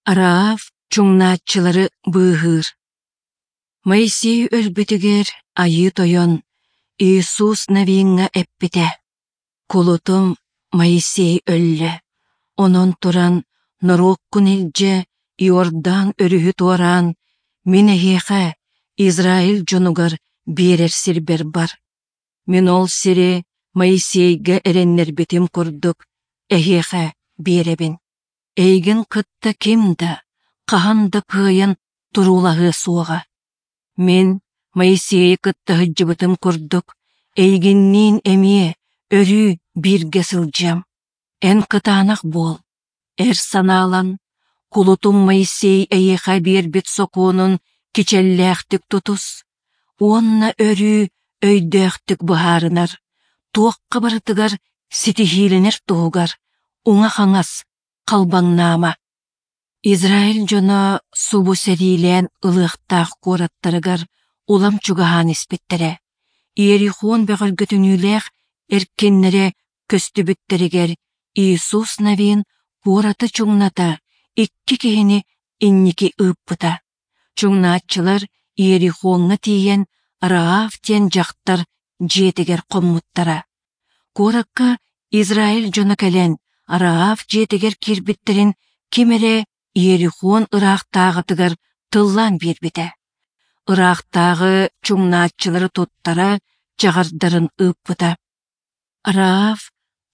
Раав чуҥнааччылары быыһыыр. Моисей өлбүтүгэр Айыы Тойон Иисус Навиҥҥа эппитэ: «Кулутум Моисей өллө, онон туран норуоккун илдьэ Иордан өрүһү туораан, мин эһиэхэ, Израиль дьонугар биэрэр сирбэр бар. Мин ол сири Моисейга эрэннэрбитим курдук эһиэхэ биэрэбин. Эйигин кытта ким да, хаһан да кыайан туруулаһыа суоҕа. Мин Моисейы кытта сылдьыбытым курдук, эйигинниин эмиэ өрүү бииргэ сылдьыам. Эн кытаанах буол, эр санаалан, кулутум Моисей эйиэхэ биэрбит сокуонун кичэллээхтик тутус уонна өрүү өйдөөхтүк быһаарынар, туохха барытыгар ситиһиилэнэр туһугар уҥа-хаҥас халбаҥнаама. Израиль дьоно субу сэриилээн ылыахтаах куораттарыгар улам чугаһаан испиттэрэ. Иерихон бөҕөргөтүнүүлээх эркиннэрэ көстүбүттэригэр Иисус Навин куораты чуҥната икки киһини инники ыыппыта. Чуҥнааччылар Иерихоҥҥа тиийэн Раав диэн дьахтар дьиэтигэр хоммуттара. Куоракка Израиль дьоно кэлэн Раав дьиэтигэр киирбиттэрин ким эрэ Иерихон ыраахтааҕытыгар тыллаан биэрбитэ. Ыраахтааҕы чуҥнааччылары туттара чаҕардарын ыыппыта. Раав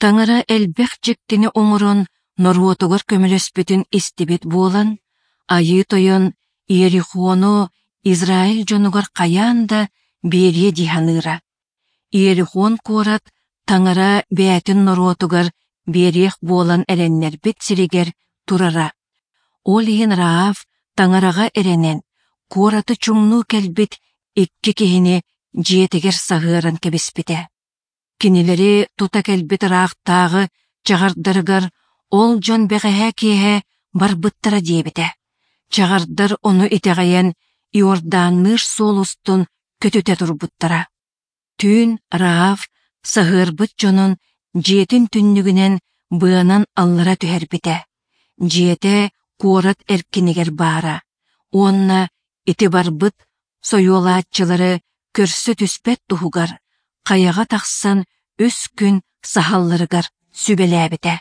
Таҥара элбэх дьиктини оҥорон норуотугар көмөлөспүтүн истибит буолан, Айыы Тойон Иерихону Израиль дьонугар хайаан да биэриэ дии саныыра. Иерихон куорат Таҥара бэйэтин норуотугар биэриэх буолан эрэннэрбит сиригэр турара. Ол иһин Раав Таҥараҕа эрэнэн, куораты чуҥнуу кэлбит икки киһини дьиэтигэр саһыаран кэбиспитэ. Кинилэри тута кэлбит ыраахтааҕы чаҕардарыгар ол дьон бэҕэһээ киэһэ барбыттара диэбитэ. Чаҕардар ону итэҕэйэн Иорданныыр суол устун көтүтэ турбуттара. Түүн Раав саһыарбыт дьонун дьиэтин түннүгүнэн быанан аллара түһэрбитэ. Дьиэтэ куорат эркинигэр баара уонна ити барбыт сойуолааччылары көрсө түспэт туһугар хайаҕа тахсан үс күн саһалларыгар сүбэлээбитэ.